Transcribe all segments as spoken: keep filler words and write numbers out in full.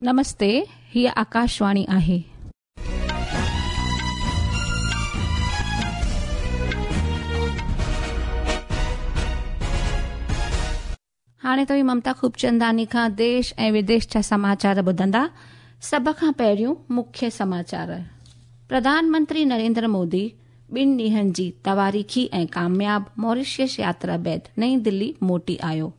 नमस्ते, हीअ आकाशवाणी आहे। हाणे तव्हीं ममता खूबचंदानी खां देश ऐं विदेश जा समाचार ॿुधंदा। सभ खां पहिरियों मुख्य समाचार। प्रधानमंत्री नरेंद्र मोदी ॿिनि ॾींहनि जी तवारीख़ी ऐं कामयाब मॉरिशस यात्रा बाद नई दिल्ली मोटी आयो।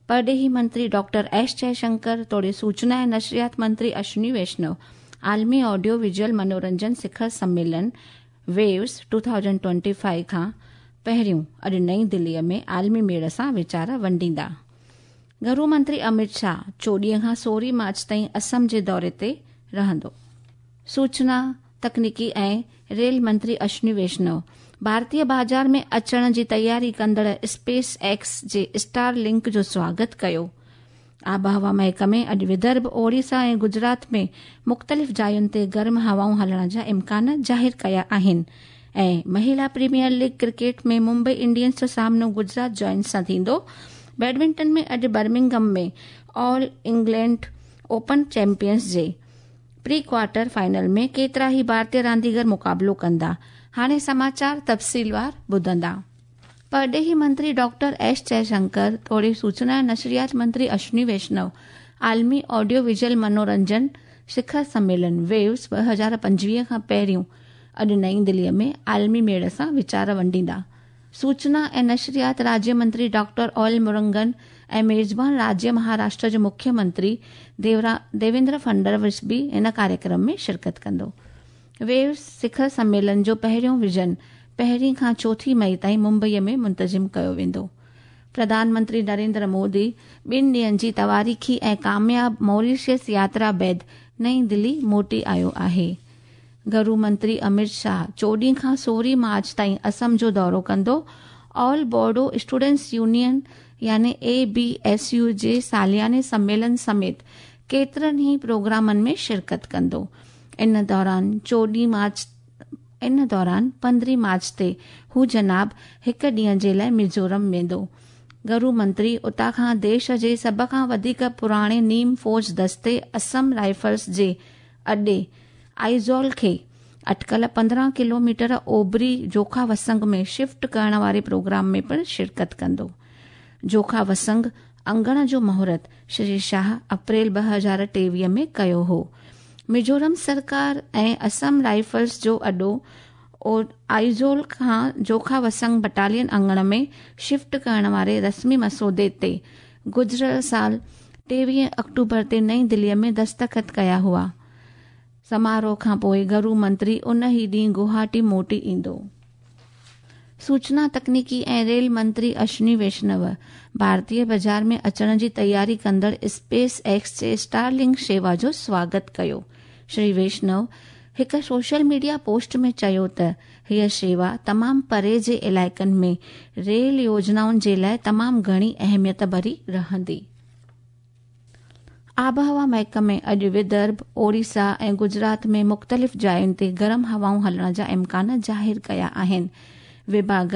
परॾेही मंत्री डॉक्टर एस जयशंकर तोड़े सूचना ऐं नशरियात मंत्री अश्विनी वैष्णव आलमी ऑडियो विजुअल मनोरंजन शिखर सम्मेलन वेव्स दो हज़ार पच्चीस खां पहिरियों अॼु नई दिल्लीअ में आलमी मेड़ सां वीचार वंडींदा। घरू मंत्री अमित शाह चोॾीं खां सोरहं मार्च ताईं असम जे दौरे ते रहंदो। सूचना तकनीकी ऐं रेल मंत्री अश्विनी वैष्णव भारतीय बाज़ार में अचण जी तयारी कंदड़ स्पेस एक्स जे स्टार लिंक जो स्वागत कयो। आबहवा महकमे अॼु विदर्भ, ओडिशा ऐं गुजरात में मुख़्तलिफ़ जायुनि ते गर्म हवाऊं हलण जा इम्कान ज़ाहिर कया आहिनि। ऐं महिला premier league cricket में मुंबई इंडियंस जो सामनो गुजरात जॉयंट्स सां थींदो। बैडमिंटन में अॼु बर्मिंघम में ऑल इंग्लैंड ओपन चैंपियंस जे प्री क्वार्टर फाइनल में केतिरा ई भारतीय रांदीगर मुक़ाबिलो कंदा। हाणे समाचार तफ़सीलवार ॿुधंदा। परॾेही मंत्री डॉक्टर एस जयशंकर तोड़े सूचना ऐं नशरियात मंत्री अश्विनी वैष्णव आलमी ऑडियो विजुअल मनोरंजन शिखर सम्मेलन वेव्स ॿ हज़ार पंजवीह खां पहिरियों अॼु नई दिल्लीअ में आलमी मेड़ सां वीचार वंडींदा। सूचना ऐं नशरियात राज्य मंत्री डॉक्टर ऑल मुरुगन ऐं मेज़बान राज्य महाराष्ट्र जो मुख्यमंत्री देवरा देवेंद्र फडणवीस बि हिन कार्यक्रम में शिरकत कंदो। वेव्स शिखर सम्मेलन जो पहिरियों विजन पहिरीं खां चोथीं मई ताईं मुंबईअ में मुंतज़िम कयो वेंदो। प्रधानमंत्री नरेंद्र मोदी ॿिनि ॾींहनि जी तवारीख़ी ऐं कामयाब मॉरिशस यात्रा बाद नई दिल्ली मोटी आयो आहे। घरू मंत्री अमित शाह चोॾीं खां सोरहं मार्च ताईं असम जो दौरो कंदो। ऑल बोडो स्टूडेंट्स यूनियन यानी ए बी एस यू जे सालियाने सम्मेलन समेत केतिरनि ई प्रोग्रामनि में शिरकत कंदो। इन दौरान चोॾीं मार्च इन दौरान पंद्रहीं मार्च ते हू जनाब हिकु ॾींहं जे लाइ मिज़ोरम वेंदो। घरू मंत्री उतां खां देश जे सभ खां वधीक पुराणे नीम फौज दस्ते असम राइफल्स जे अॾे आइज़ॉल खे अटकल पंद्रहं किलोमीटर ओबरी जोखा वसंग में शिफ्ट करण वारे प्रोग्राम में पिणु शिरकत कंदो। जोखा वसंग अंगण जो मुहूर्त श्री शाह अप्रैल ॿ हज़ार टेवीह में कयो हो। मिज़ोरम सरकार ऐं असम राइफल्स जो अॾो आइज़ोल खां जोखा वसंग बटालियन अंगण में शिफ्ट करण वारे रस्मी मसौदे ते गुज़िरियल साल टेवीह अक्टूबर ते नई दिल्लीअ में दस्तख़त कया हुआ। समारोह खां पोइ घरू मंत्री उन ई ॾींहुं गुवाहाटी मोटी ईंदो। सूचना तकनीकी ऐं रेल मंत्री अश्विनी वैष्णव भारतीय बाज़ार में अचण जी तयारी कंदड़ स्पेस एक्स जे स्टारलिंक शेवा जो स्वागत कयो। श्री वैष्णव हिकु सोशल मीडिया पोस्ट में चयो त हीअ शेवा तमामु परे जे इलाइक़नि में रेल योजनाउनि जे लाइ तमामु घणी अहमियत भरी रहंदी। आबहवा महकमे अॼु विदर्भ, ओडिशा ऐं गुजरात में मुख़्तलिफ़ जायुनि ते गरम हवाऊं हलण जा इम्कान ज़ाहिर कया आहिनि। विभाग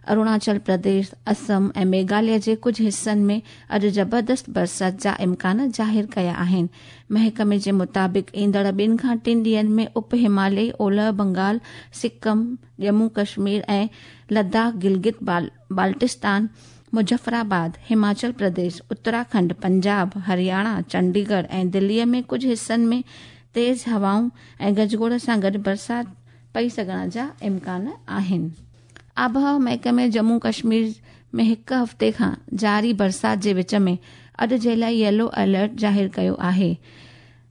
अरुणाचल प्रदेश, असम ऐं मेघालय जे कुझु हिसनि में अॼु ज़बरदस्त बरसाति जा इम्कान ज़ाहिर कया आहिनि। महकमे जे मुताबिक़ ईंदड़ ॿिनि खां टिनि ॾींहंनि में उप हिमालयी ओलह बंगाल, सिक्किम, जम्मू कश्मीर ऐं लद्दाख, गिलगित बाल, बाल्टिस्तान, मुज़फ़्फ़राबाद, हिमाचल प्रदेश, उत्तराखंड, पंजाब, हरियाणा, चंडीगढ़ ऐं दिल्लीअ में कुझु हिसनि में तेज़ हवाऊं ऐं गजगोड़ सां गॾु बरसाति पई सघण जा इम्कान आहिनि। आबहवा महकमे जम्मू कश्मीर में हिकु हफ़्ते खां जारी बरसाति जे विच में अॼु जे लाइ येलो अलर्ट ज़ाहिर कयो आहे,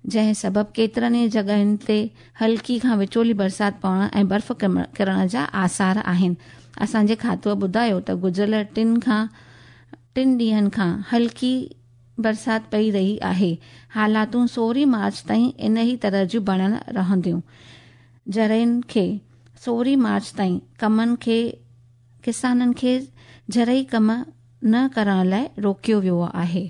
जंहिं सबबु केतिरनि ई जॻहियुनि ते हल्की खां विचोली बरसाति पवण ऐं बर्फ़ किरण जा आसार आहिनि। असांजे खातूअ ॿुधायो त गुज़िरियल टिनि खां टिनि ॾींहंनि खां हल्की बरसाति पई रही आहे। हालातूं सोरहं मार्च ताईं इन ई तरह जूं बणियल रहंदियूं। ज़रइनि खे सोरहं मार्च ताईं कमनि खे किसाननि खे ज़रई कम न करण लाइ रोकियो वियो आहे।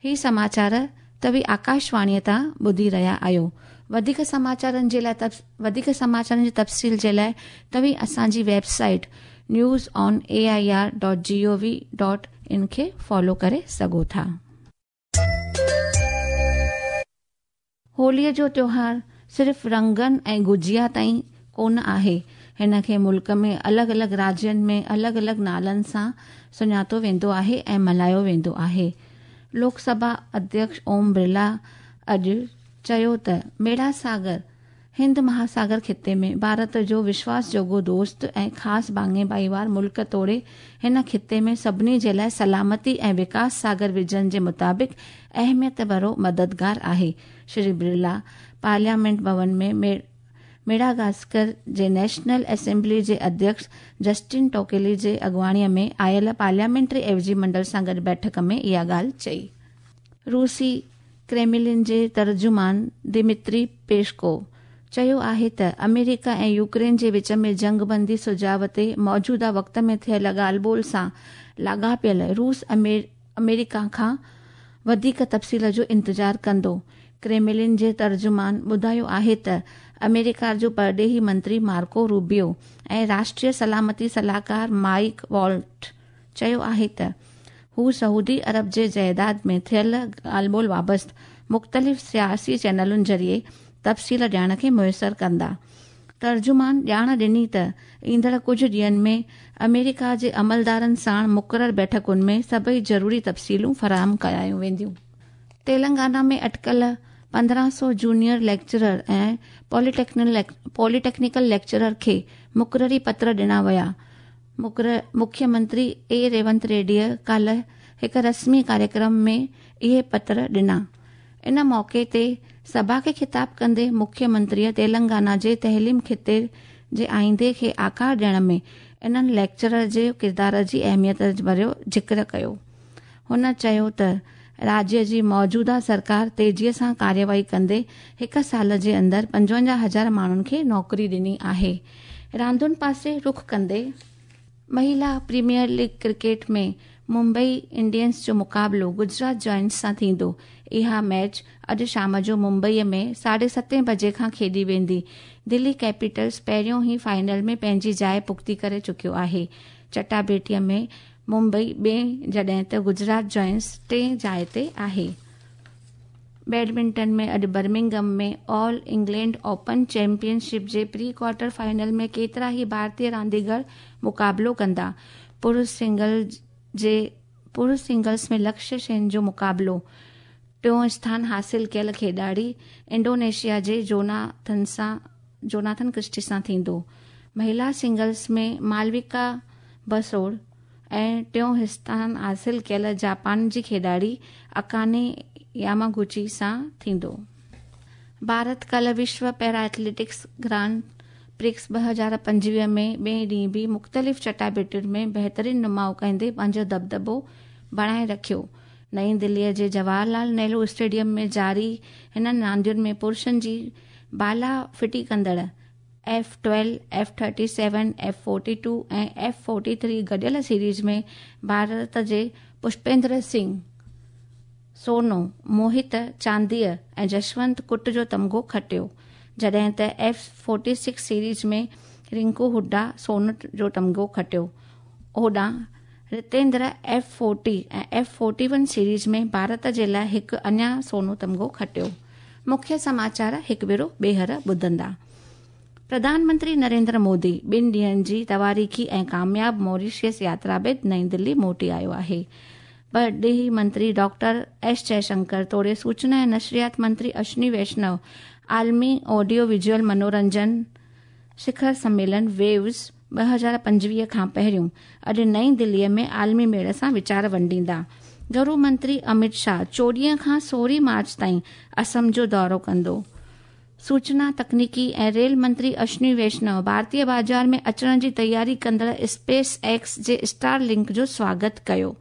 ही समाचार तव्हीं आकाशवाणीअ तां ॿुधी रहिया आहियो। वधीक समाचारनि जे लाइ वधीक समाचारनि जी तफ़सील जे लाइ तव्हीं असांजी website news on A I R dot G O V dot in खे फॉलो करे सघो था। होलीअ जो त्योहार सिर्फ़ रंगनि ऐं गुजिया ताईं कोन आहे। हिन खे मुल्क में अलॻि अलॻि राज्यनि में अलॻि अलॻि नालनि सां सुञातो वेंदो आहे ऐं मल्हायो वेंदो आहे। लोकसभा अध्यक्ष ओम बिरला अॼु चयो त मेड़ासागर हिंद महासागर ख़िते में भारत जो विश्वास जोॻो दोस्त ऐं ख़ासि भाङे भाईवार मुल्क तोड़े हिन ख़िते में सभिनी जे लाइ सलामती ऐं विकास सागर विजन जे मुताबिक़ अहमियत भरो मददगार आहे। श्री बिरला पार्लियामेंट भवन में मे मेडागास्कर जे नेशनल असेंबली जे अध्यक्ष जस्टिन टोकेली जे अॻुवाणीअ में आयल पार्लियामेंटरी एवज़ी मंडल सां गॾु बैठक में इहा ॻाल्हि चई। रूसी क्रेमलिन जे तर्जुमान दिमित्री पेशकोव चयो आहे त अमेरिका ऐं यूक्रेन जे विच में जंगबंदी सुझाव ते मौजूदा वक़्त में थियल ॻाल्हि ॿोल सां लाॻापियल रूस अमेरिका खां वधीक तफ़सील जो इंतज़ार कंदो। क्रेमलिन जे तर्जुमान ॿुधायो आहे त अमेरिका जो परॾेही मंत्री मार्को रूबियो ऐं राष्ट्रीय सलामती सलाहकार माइक वॉल्ट चयो आहे त हू सऊदी अरब जे जायदाद में थियल ॻाल्हि ॿोल वाबस्त मुख़्तलिफ़ सियासी चैनलुनि ज़रिए तफ़सील ॾियण खे मुयसर कंदा। तर्जुमान ॼाण ॾिनी त ईंदड़ कुझु ॾींहंनि में अमेरिका जे अमलदारनि साण मुक़ररु बैठकुनि में सभई ज़रूरी तफ़सीलूं फराहम कयायूं वेंदियूं। तेलंगाना में अटकल पंद्रहं सौ जूनियर लेक्चरर ऐं पॉलिटेक्निकल लेक्चरर खे मुक़ररी पत्र ॾिना विया। मुख्यमंत्री ए रेवंत रेड्डीअ काल्ह हिकु रस्मी कार्यक्रम में इहे पत्र ॾिना। इन मौक़े ते सभा खे ख़िताब कंदे मुख्यमंत्रीअ तेलंगाना जे तइलीम ख़िते जे आईंदे खे आकार ॾियण में इन्हनि लेक्चरर जे किरदार जी अहमियत भरियो ज़िक्र कयो। हुन चयो त राज्य जी मौजूदा सरकार तेज़ीअ सां कार्यवाही कंदे हिकु साल जे अंदरि पंजवंजाह हज़ार माण्हुनि खे नौकरी ॾिनी आहे। रांदुनि पासे रुख़ कंदे महिला premier league cricket में मुंबई इंडियंस जो मुक़ाबिलो गुजरात जॉयंट्स सां थींदो। इहा मैच अॼु शाम जो मुंबईअ में साढे सते बजे खां खेॾी वेंदी। दिल्ली कैपिटल्स पहिरियों ई फाइनल में पंहिंजी जाइ पुख़्ती करे चुकियो आहे। चटाबेटीअ में मुंबई ॿिए जॾहिं त गुजरात जॉयंट्स टे जाइ ते आहे। बैडमिंटन में अॼु Birmingham में ऑल इंग्लैंड ओपन चैंपियनशिप जे प्री क्वार्टर फाइनल में केतिरा ई भारतीय रांदीगर मुक़ाबिलो कंदा। पुरुष सिंगल जे पुरुष सिंगल्स में लक्ष्य सेन जो मुक़ाबिलो टियों स्थान हासिल कयल खेॾाड़ी इंडोनेशिया जे जोनाथन सां जोनाथन क्रिस्टी सां थींदो। महिला सिंगल्स में मालविका बसोड़ ऐं टियों स्थान हासिल कयल जापान जी खेॾाड़ी अकाने यामागुची सां थींदो। भारत कल विश्व पैरा एथलेटिक्स ग्रांड प्रिक्स ॿ हज़ार पंजवीह में ॿिए ॾींहुं बि मुख़्तलिफ़ चटाबेटियुनि में बहितरीन नुमाउ कंदे पंहिंजो दबदबो बणाए रखियो। नई दिल्लीअ जे जवाहरलाल नेहरू स्टेडियम में जारी हिननि रांदियुनि में पुरुषनि जी बाला फिटी कंदड़ F twelve, F thirty seven, F forty two ऐं एफ फोर्टी थ्री गॾियल सीरीज़ में भारत जे पुष्पेंद्र सिंह सोनो, मोहित चांदीअ ऐं जशवंत कुट जो तमगो खटियो, जॾहिं त एफ फोर्टी सिक्स सीरीज़ में रिंकू हुड्डा सोन जो तमगो खटियो। होॾां रितेंद्र एफ फोर्टी ऐं एफ फोर्टी वन सीरीज़ में भारत जे लाइ हिकु अञा सोनो तमगो खटियो। मुख्य समाचार हिकु भेरो ॿीहर ॿुधंदा। प्रधानमंत्री नरेंद्र मोदी ॿिनि ॾींहंनि जी तवारीख़ी ऐं कामयाब मॉरिशस यात्रा बाद नई दिल्ली मोटी आयो आहे। परॾेही मंत्री डॉक्टर एस जयशंकर तोड़े सूचना ऐं नशरियात मंत्री अश्विनी वैष्णव आलमी ऑडियो विजुअल मनोरंजन शिखर सम्मेलन वेव्स ॿ हज़ार पंजवीह खां पहिरियों अॼु नई दिल्लीअ में आलमी मेड़ सां वीचार वंडींदा। गृह मंत्री अमित शाह चोॾींहं खां सोरहं मार्च ताईं असम जो दौरो कंदो। सूचना तकनीकी ऐं रेल मंत्री अश्विनी वैष्णव भारतीय बाज़ार में अचण जी तयारी कंदड़ स्पेस एक्स जे स्टार लिंक जो स्वागत कयो।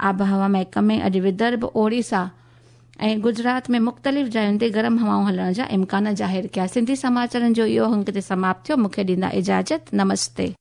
आबहवा महकमे अॼु विदर्भ, ओडिशा ऐं गुजरात में मुख़्तलिफ़ जायुनि ते गरम हवाऊं हलण जा इम्कान ज़ाहिर कया। सिंधी समाचारनि जो इहो अंक ते समाप्त थियो। मूंखे ॾींदा इजाज़त। नमस्ते।